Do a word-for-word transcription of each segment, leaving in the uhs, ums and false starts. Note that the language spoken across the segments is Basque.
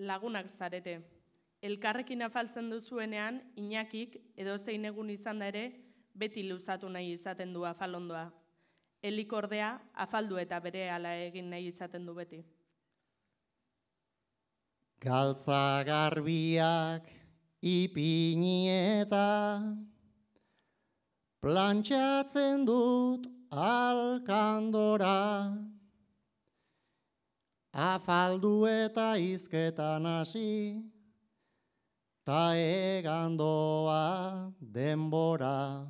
lagunak zarete. Elkarrekin afaltzen duzuenean, Iñakik edozein egun izan da ere, beti luzatu nahi izaten du afalondoa. Elik ordea, afaldu eta berehala egin nahi izaten du beti. Galtza garbiak ipini eta plantxatzen dut alkandora. Afaldu eta izketan hasi, ta egandoa denbora.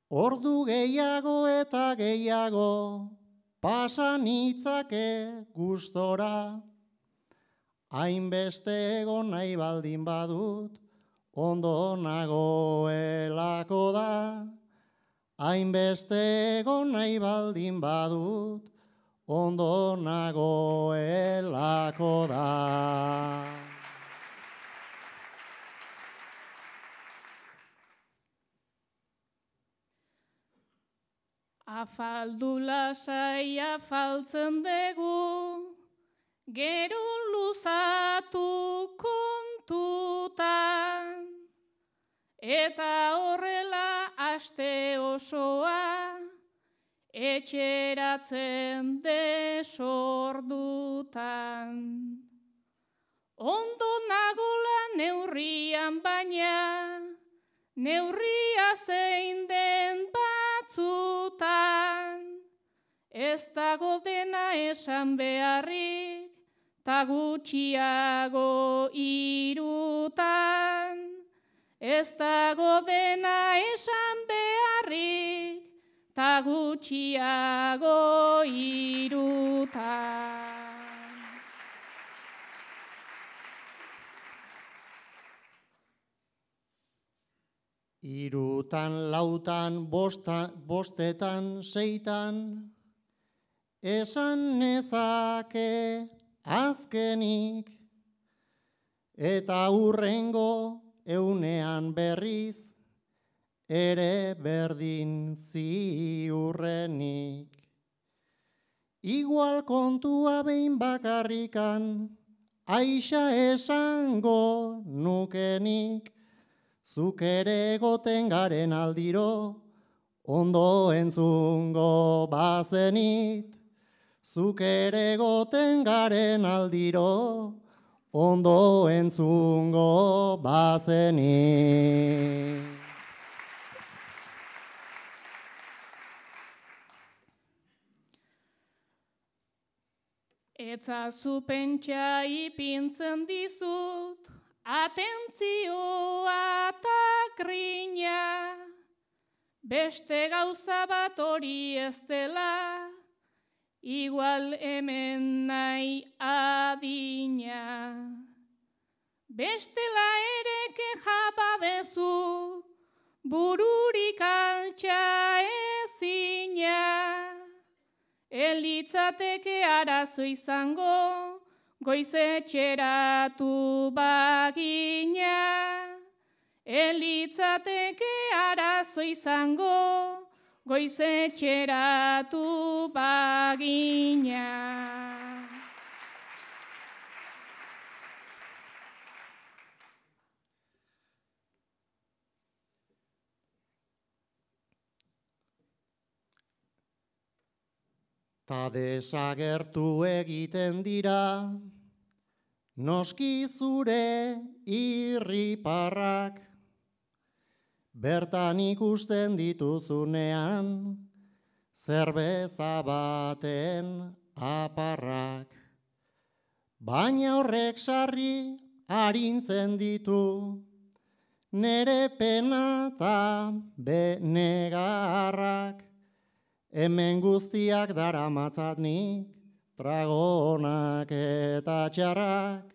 Ordu gehiago eta gehiago pasan itzake gustora. Hainbeste egon nahi baldin badut, ondo nagoelako da. Hainbeste egon nahi baldin badut, ondo nagoelako da. Afaldu lasai afaltzen dugu, gero luzatu kontutan, eta horrela aste osoa, etxeratzen desordutan. Ondo nagola neurrian baina, neurria zein den batzutan, ez dago dena esan beharrik, ta gutxiago irutan. Ez dago dena esan beharrik, ta gutxiago irutan. Irutan, lautan, bosta, bostetan, seitan, esan nezake azkenik, eta hurrengo eunean berriz, ere berdin ziurrenik. Igual kontua behin bakarrikan, aixa esango nukenik, zuk ere egoten garen aldiro, ondo entzungo bazenit. Zuk ere egoten garen aldiro, ondo entzungo bazenit. Etzazu pentsa ipintzen dizut, atentzioa eta grina, beste gauza bat hori ez dela, igual hemen nahi adina. Bestela ere keja badezu, bururik altxa ezina, elitzateke arazo izango, goizetxeratu bagina. Elitzateke arazo izango, goizetxeratu bagina. Ta desagertu egiten dira, noski zure irriparrak, bertan ikusten dituzunean, zerbeza baten aparrak. Baina horrek sarri arintzen ditu, nere pena eta benegarrak. Hemen guztiak daramatzat nik, tragonak eta txarrak.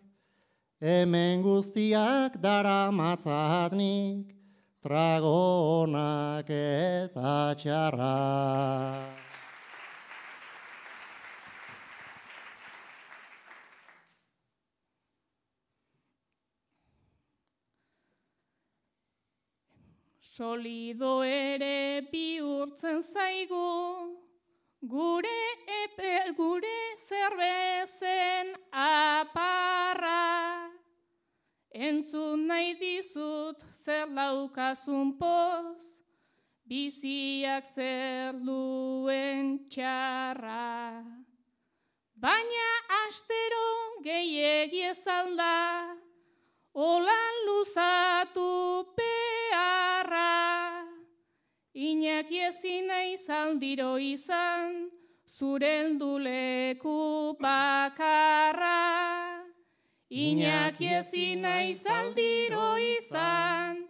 Hemen guztiak daramatzat nik, tragonak eta txarrak. Solido ere bihurtzen zaigu, gure epe, gure zerbezen apa. entzun nahi dizut zer laukazun poz, biziak zer duen txarra. Baina astero gehiegi ez alda, olan luzatu beharra. Iñaki ezin naiz aldiro izan, zure helduleku bakarra. Iñaki ezin naiz aldiro izan,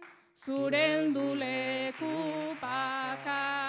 zure helduleku bakarra.